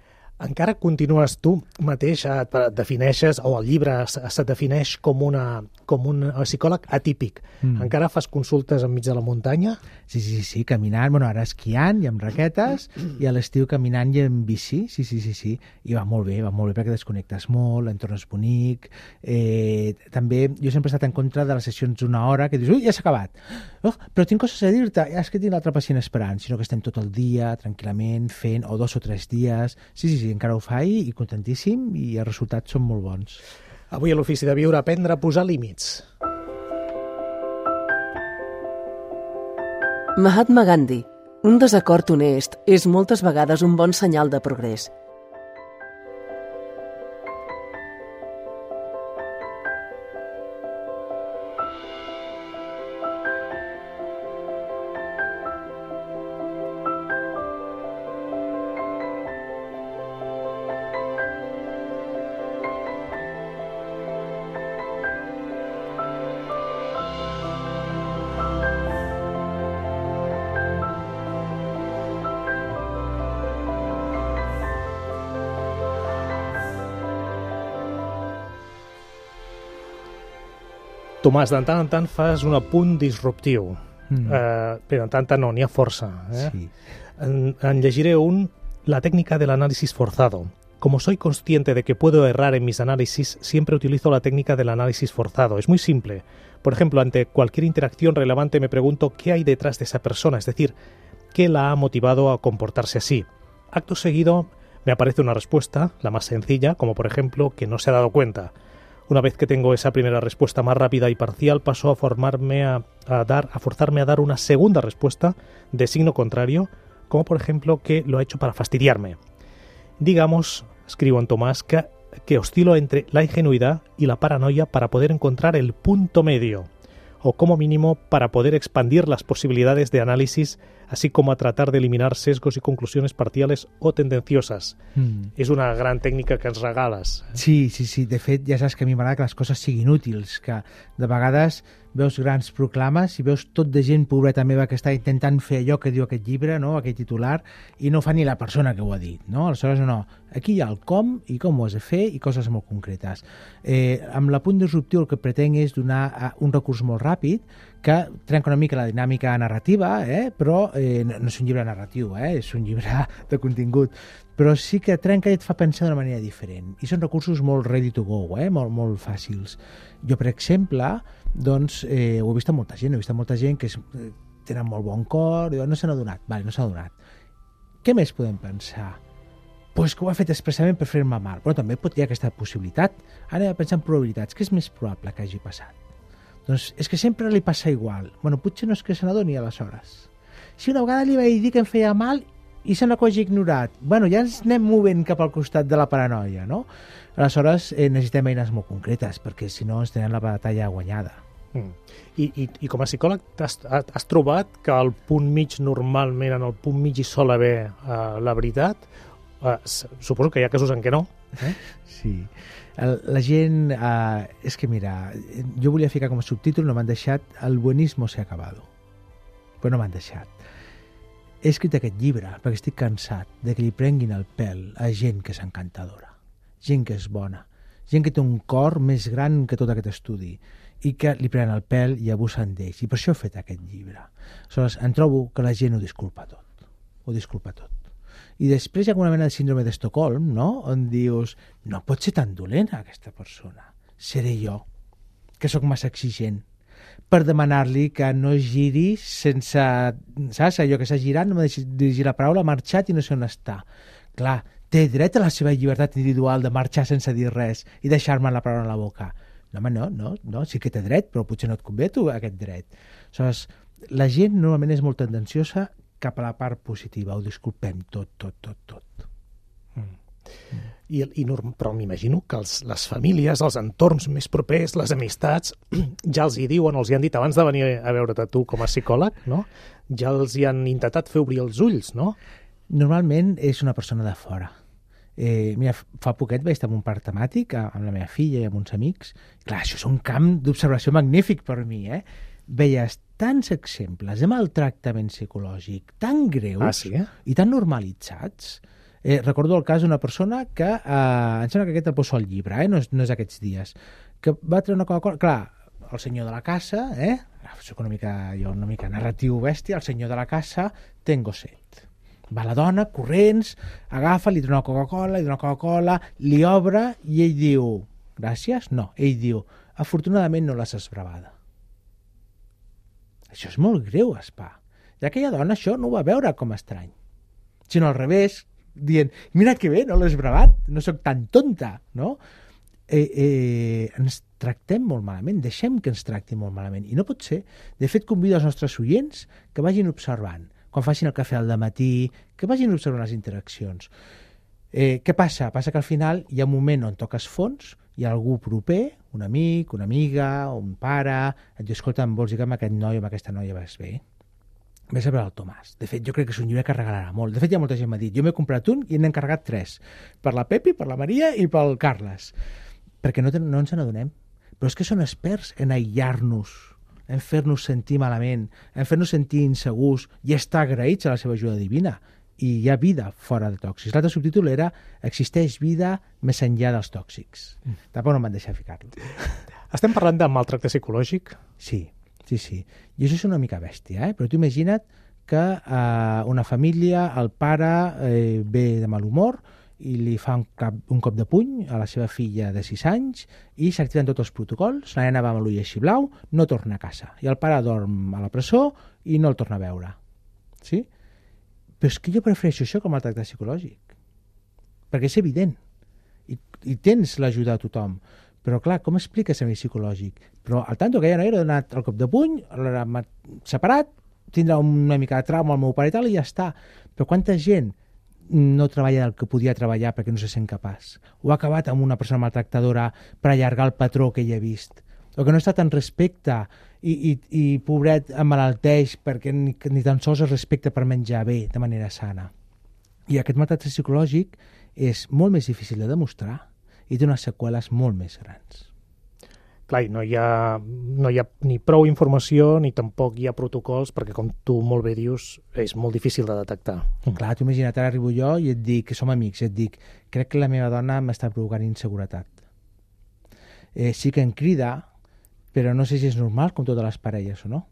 Encara continues tu mateix, et defineixes, o el llibre se't defineix com un psicòleg atípic. Encara fas consultes enmig de la muntanya?
Sí, caminant, ara esquiant i amb raquetes, i a l'estiu caminant i en bici, sí. I va molt bé perquè desconnectes molt, l'entorn és bonic. També jo sempre he estat en contra de les sessions d'una hora que dius, ui, ja s'ha acabat. Però tinc coses a dir-te, és que tinc l'altre pacient esperant, sinó que estem tot el dia, tranquil·lament, fent, o 2 o 3 dies. Sí, encara ho faig i contentíssim i els resultats són molt bons.
Avui a l'Ofici de Viure, aprendre a posar límits.
Mahatma Gandhi. Un desacord honest és moltes vegades un bon senyal de progrés.
Tomàs, de tant en tant fas un apunt disruptiu. Però de tant en tant no, n'hi ha força.
Sí.
En llegiré la técnica del análisis forzado. Como soy consciente de que puedo errar en mis análisis, siempre utilizo la técnica del análisis forzado. Es muy simple. Por ejemplo, ante cualquier interacción relevante me pregunto qué hay detrás de esa persona, es decir, qué la ha motivado a comportarse así. Acto seguido me aparece una respuesta, la más sencilla, como por ejemplo que no se ha dado cuenta. Una vez que tengo esa primera respuesta más rápida y parcial, paso a forzarme a dar una segunda respuesta de signo contrario, como por ejemplo que lo ha hecho para fastidiarme. Digamos, escribo en Tomás, que oscilo entre la ingenuidad y la paranoia para poder encontrar el punto medio, o como mínimo para poder expandir las posibilidades de análisis así como a tratar de eliminar sesgos y conclusiones parciales o tendenciosas. És una gran tècnica que ens regales.
Sí. De fet, ja saps que a mi m'agrada que les coses siguin útils, que de vegades veus grans proclames i veus tot de gent pobreta meva que està intentant fer allò que diu aquest llibre, no? Aquest titular, i no fa ni la persona que ho ha dit, no? Aleshores, no. Aquí hi ha el com i com ho has de fer i coses molt concretes. Amb l'apunt disruptiu el que pretenc és donar un recurs molt ràpid que trenca una mica la dinàmica narrativa, però no és un llibre narratiu, és un llibre de contingut, però sí que trenca i et fa pensar d'una manera diferent. I són recursos molt ready to go, molt fàcils. Jo, per exemple, doncs, ho he vist a molta gent, que tenen molt bon cor, i no s'han adonat. Vale, no s'han adonat. Què més podem pensar? Pues que ho ha fet expressament per fer-me mal. Però també pot hi ha aquesta possibilitat. Ara he de pensar en probabilitats. Què és més probable que hagi passat? Doncs és que sempre li passa igual. Bueno, potser no és que se n'adoni aleshores. Si una vegada li vaig dir que em feia mal i se n'ha quasi ignorat, bueno, ja ens anem movent cap al costat de la paranoia, no? Aleshores necessitem eines molt concretes, perquè si no ens tenen la batalla guanyada.
I com a psicòleg has trobat que al punt mig normalment, en el punt mig hi sol haver la veritat? Suposo que hi ha casos en què no.
Sí. La gent... és que mira, jo volia ficar com a subtítol, no m'han deixat, el buenismo se ha acabado. Però no m'han deixat. He escrit aquest llibre perquè estic cansat de que li prenguin el pèl a gent que és encantadora, gent que és bona, gent que té un cor més gran que tot aquest estudi i que li prenen el pèl i abusen d'ells. I per això he fet aquest llibre. Aleshores, em trobo que la gent ho disculpa tot. Ho disculpa tot. I després hi ha una mena de síndrome d'Estocolm, no? On dius, no pot ser tan dolenta aquesta persona. Seré jo, que sóc massa exigent, per demanar-li que no giri sense... Saps? Allò que s'ha girat, no m'ha deixat dirigir la paraula, ha marxat i no sé on està. Clar, té dret a la seva llibertat individual de marxar sense dir res i deixar-me la paraula a la boca. No, home, no, sí que té dret, però potser no et convé tu aquest dret. Aleshores, la gent normalment és molt tendenciosa cap a la part positiva, ho disculpem tot.
Però m'imagino que les famílies, els entorns més propers, les amistats, ja els hi diuen, els hi han dit abans de venir a veure't tu com a psicòleg, no? Ja els hi han intentat fer obrir els ulls, no?
Normalment és una persona de fora. Mira, fa poquet vaig estar en un parc temàtic amb la meva filla i amb uns amics. Clar, això és un camp d'observació magnífic per mi, Veies tants exemples de maltractament psicològic tan greus i tan normalitzats. Recordo el cas d'una persona que, em sembla que aquest el poso al llibre, no és aquests dies, que va treure una Coca-Cola. Clar, el senyor de la casa, soc una mica narratiu bèstia, el senyor de la casa té un gosset. Va la dona, corrents, agafa, li dona una Coca-Cola, li obre i ell diu, gràcies? No, ell diu, afortunadament no l'has esbravada. Això és molt greu, Espà. I aquella dona això no ho va veure com estrany, sinó al revés, dient, mira que bé, no l'he esbravat, no sóc tan tonta, no? Ens tractem molt malament, deixem que ens tractin molt malament, i no pot ser. De fet, convido els nostres oients que vagin observant, quan facin el cafè al dematí, que vagin observant les interaccions. Què passa? Passa que al final hi ha un moment on toques fons, hi ha algú proper, un amic, una amiga, un pare, et diu, escolta, em vols dir que amb aquest noi o amb aquesta noia vas bé? Ves a veure el Tomàs. De fet, jo crec que és un llibre que regalarà molt. De fet, hi ha molta gent que m'ha dit, jo m'he comprat un i n'he encarregat 3, per la Pepi, per la Maria i pel Carles, perquè no ens n'adonem. Però és que són experts en aïllar-nos, en fer-nos sentir malament, en fer-nos sentir insegurs i estar agraïts a la seva ajuda divina. I hi ha vida fora de tòxics. L'altre subtítol era existeix vida més enllà dels tòxics. Tampoc no m'han deixat ficar-lo.
Estem parlant de maltracte psicològic?
Sí. I això és una mica bèstia, però tu imagina't que una família, el pare ve de mal humor i li fa un cop de puny a la seva filla de 6 anys i s'activen tots els protocols, la nena va amb l'ull així blau, no torna a casa. I el pare dorm a la presó i no el torna a veure. Sí? Però és que jo prefereixo això com el tracte psicològic. Perquè és evident. I tens l'ajuda a tothom. Però, clar, com expliques a mi psicològic? Però al tanto que ja no era donat el cop de puny, l'ha separat, tindrà una mica de trauma al meu pare i tal, i ja està. Però quanta gent no treballa del que podia treballar perquè no se sent capaç? O ha acabat amb una persona maltractadora per allargar el patró que ell ha vist? O que no ha estat en respecte i pobret emmalalteix perquè ni tan sols es respecta per menjar bé de manera sana. I aquest maltractament psicològic és molt més difícil de demostrar i té unes seqüeles molt més grans.
Clar, no hi ha ni prou informació ni tampoc hi ha protocols perquè, com tu molt bé dius, és molt difícil de detectar.
Clar, tu imagina't, ara arribo jo i et dic, que som amics, i et dic, crec que la meva dona m'està provocant inseguretat. Sí que em crida, però no sé si és normal, com totes les parelles o no.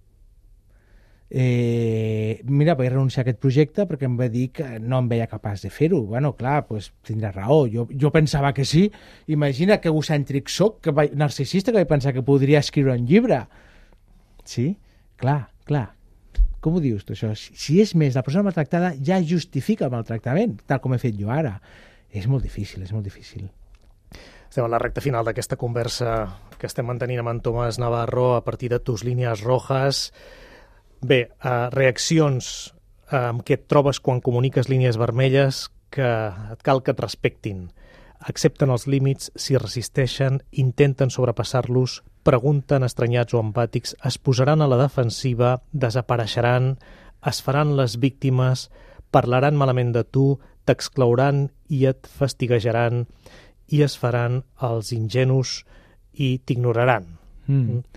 Mira, vaig renunciar a aquest projecte perquè em va dir que no em veia capaç de fer-ho. Bueno, clar, pues, tindrà raó. Jo pensava que sí. Imagina que egocèntric soc, narcisista, que vaig pensar que podria escriure un llibre. Sí? Clar. Com ho dius tu, això? Si és més, la persona maltractada ja justifica el maltractament, tal com he fet jo ara. És molt difícil.
Estem a la recta final d'aquesta conversa que estem mantenint amb en Tomàs Navarro a partir de tus línies rojas. Bé, reaccions amb què et trobes quan comuniques línies vermelles que et cal que et respectin. Accepten els límits, s'hi resisteixen, intenten sobrepassar-los, pregunten estranyats o empàtics, es posaran a la defensiva, desapareixeran, es faran les víctimes, parlaran malament de tu, t'exclouran i et fastiguejaran i es faran els ingenus i t'ignoraran.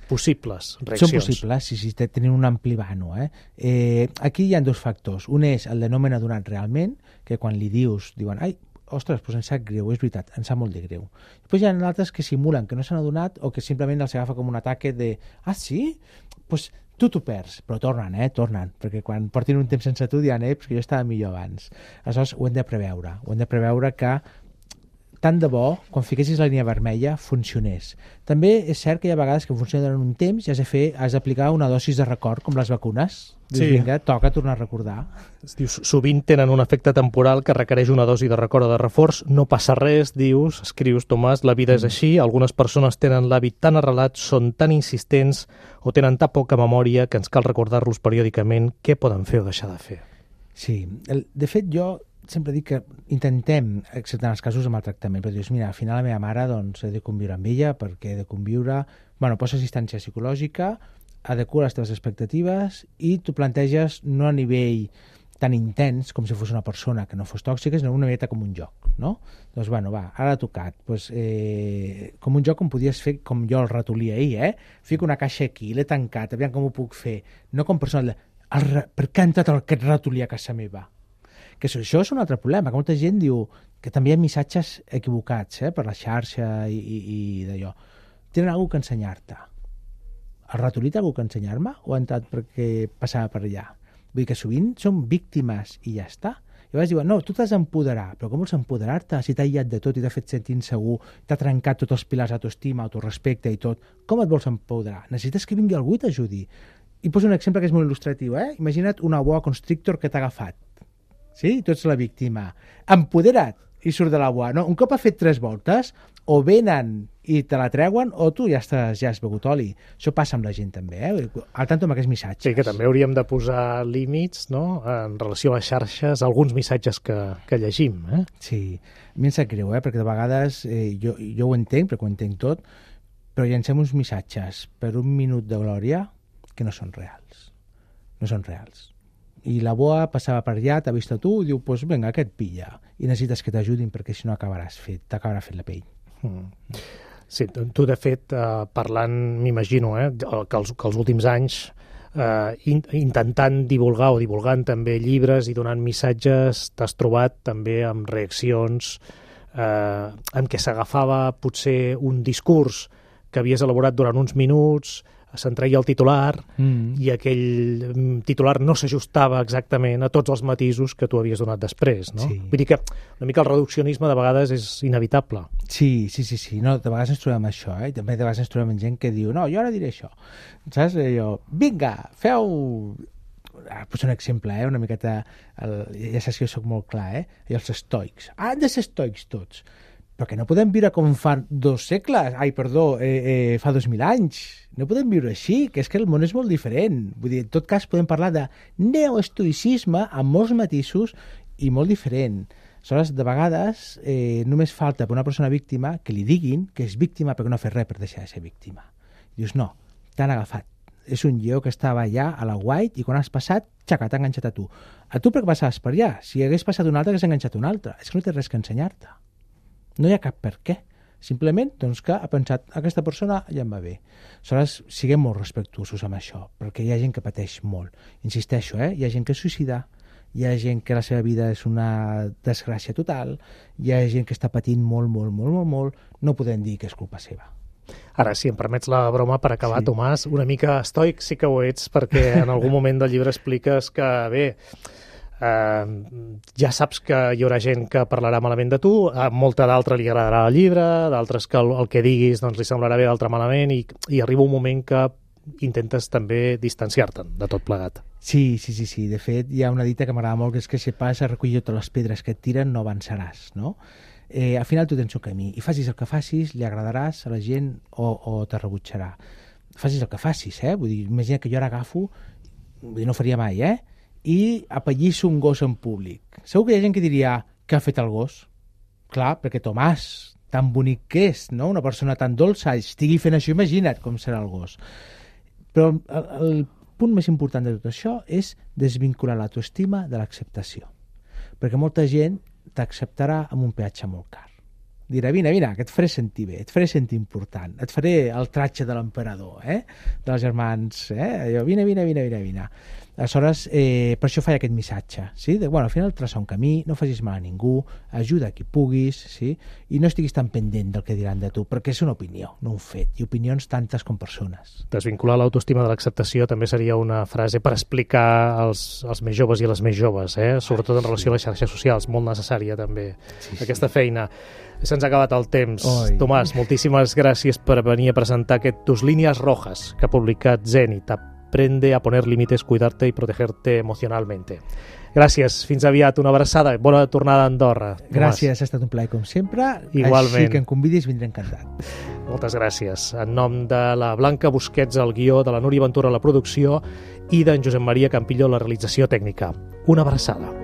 Possibles reaccions.
Són possibles, sí, tenen un ampli vano. Aquí hi ha dos factors. Un és el de no m'he adonat realment, que quan li diuen, ai, ostres, doncs em sap greu, és veritat, em sap molt de greu. Després hi ha altres que simulen que no s'han adonat o que simplement els agafa com un ataque de, ah, sí? Doncs tu t'ho perds, però tornen, perquè quan portin un temps sense tu diran, que jo estava millor abans. Aleshores ho hem de preveure que tant de bo, quan fiquessis la línia vermella, funcionés. També és cert que hi ha vegades que funciona durant un temps i has d'aplicar una dosis de record, com les vacunes. Dius, vinga, toca tornar a recordar.
Dius, sovint tenen un efecte temporal que requereix una dosi de record o de reforç. No passa res, dius, escrius, Tomàs, la vida és així. Algunes persones tenen l'hàbit tan arrelat, són tan insistents o tenen tan poca memòria que ens cal recordar-los periòdicament què poden fer o deixar de fer.
Sí, de fet jo sempre dic que intentem acceptar els casos de maltractament, però dius, mira, al final la meva mare doncs, he de conviure amb ella perquè he de conviure, posa assistència psicològica, adequa les teves expectatives i tu planteges no a nivell tan intens com si fos una persona que no fos tòxica, sinó una miqueta com un joc, no? Doncs, ara ha tocat. Com un joc com podies fer, com jo el ratolí ahir, Fico una caixa aquí, l'he tancat, aviam com ho puc fer. No com persona, per què ha entrat aquest ratolí a casa meva? Que això és un altre problema, que molta gent diu que també hi ha missatges equivocats per la xarxa i d'allò. Tenen alguna cosa que ensenyar-te. El ratolí té alguna cosa que ensenyar-me o ha entrat perquè passava per allà? Vull dir que sovint són víctimes i ja està. I llavors diuen, no, tu t'has d'empoderar, però com vols empoderar-te si t'ha aïllat de tot i t'ha fet sentir insegur, t'ha trencat tots els pilars d'autoestima, autorespecte i tot? Com et vols empoderar? Necessites que vingui algú i t'ajudi. I poso un exemple que és molt il·lustratiu. Imagina't una boa constrictor que t'ha agafat. Sí? Tu ets la víctima. Empodera't i surt de la boa. No? Un cop ha fet 3 voltes, o venen i te la treuen, o tu ja has begut oli. Això passa amb la gent també, al tanto amb aquests missatges.
Sí, que també hauríem de posar límits, no?, en relació a les xarxes, alguns missatges que llegim.
Sí, a mi em sap greu, perquè de vegades jo ho entenc, perquè ho entenc tot, però llancem uns missatges per un minut de glòria que no són reals. No són reals. I la boa passava per allà, t'ha vist a tu, i diu, doncs vinga, que et pilla. I necessites que t'ajudin perquè si no t'acabarà fent la pell.
Sí, tu de fet, parlant, m'imagino, que els últims anys, intentant divulgant també llibres i donant missatges, t'has trobat també amb reaccions en què s'agafava potser un discurs que havies elaborat durant uns minuts, se'n treia el titular i aquell titular no s'ajustava exactament a tots els matisos que tu havies donat després, no? Sí. Vull dir que una mica el reduccionisme de vegades és inevitable.
Sí. No, de vegades ens trobem amb això, també de vegades ens trobem amb gent que diu, no, jo ara diré això. Saps? Vinga, feu... Poso un exemple, una miqueta... Ja saps que jo soc molt clar, I els estoics. Han de ser estoics tots. Però que no podem viure com fa 2 segles, fa 2.000 anys. No podem viure així, que és que el món és molt diferent. Vull dir, en tot cas podem parlar de neoestoicisme amb molts matisos i molt diferent. Aleshores, de vegades només falta per una persona víctima que li diguin que és víctima perquè no ha fet res per deixar de ser víctima. I dius, no, t'han agafat. és un lleó que estava allà a la White i quan has passat, xaca, t'ha enganxat a tu. A tu perquè passaves per allà. Si hagués passat un altre, hagués enganxat un altre. És que no té res que ensenyar-te. No hi ha cap per què. Simplement doncs, que ha pensat aquesta persona ja em va bé. Aleshores, siguem molt respectuosos amb això, perquè hi ha gent que pateix molt. Insisteixo, hi ha gent que es suïcida, hi ha gent que la seva vida és una desgràcia total, hi ha gent que està patint molt, no podem dir que és culpa seva.
Ara, si em permets la broma per acabar, sí. Tomàs, una mica estoic sí que ho ets, perquè en algun moment del llibre expliques que, bé, ja saps que hi haurà gent que parlarà malament de tu, a molta d'altra li agradarà el llibre, d'altres que el que diguis doncs, li semblarà bé, d'altre malament, i arriba un moment que intentes també distanciar-te'n de tot plegat.
Sí. De fet, hi ha una dita que m'agrada molt, que és que si vas a recollir totes les pedres que et tiren no avançaràs, no? Al final tu tens un camí i facis el que facis, li agradaràs a la gent o te rebutjarà. Facis el que facis, Vull dir, imagina que jo ara agafo, no ho faria mai, i apallisso un gos en públic. Segur que hi ha gent que diria què ha fet el gos? Clar, perquè Tomàs, tan bonic que és, no? Una persona tan dolça, estigui fent això, imagina't com serà el gos. Però el punt més important de tot això és desvincular l'autoestima de l'acceptació. Perquè molta gent t'acceptarà amb un peatge molt car. Dirà, vine, que et faré sentir bé, et faré sentir important, et faré el tratge de l'emperador, dels germans, allò, vine. Aleshores, per això faig aquest missatge, sí? Al final traça un camí, no facis mal a ningú, ajuda a qui puguis, sí? I no estiguis tan pendent del que diran de tu, perquè és una opinió, no un fet, i opinions tantes com persones.
Desvincular l'autoestima de l'acceptació també seria una frase per explicar als més joves i a les més joves, sobretot en relació a les xarxes socials, molt necessària també aquesta feina. Se'ns ha acabat el temps. Oi. Tomàs, moltíssimes gràcies per venir a presentar aquest Tus líneas rojas que ha publicat Zenit. Aprende a poner límites, cuidarte y protegerte emocionalmente. Gràcies, fins aviat, una abraçada, bona tornada a Andorra. Tomàs.
Gràcies, ha estat un plaer com sempre.
Igualment.
Així que em convidis, vindré encantat.
Moltes gràcies. En nom de la Blanca Busquets al guió, de la Núria Ventura a la producció i d'en Josep Maria Campillo a la realització tècnica. Una abraçada.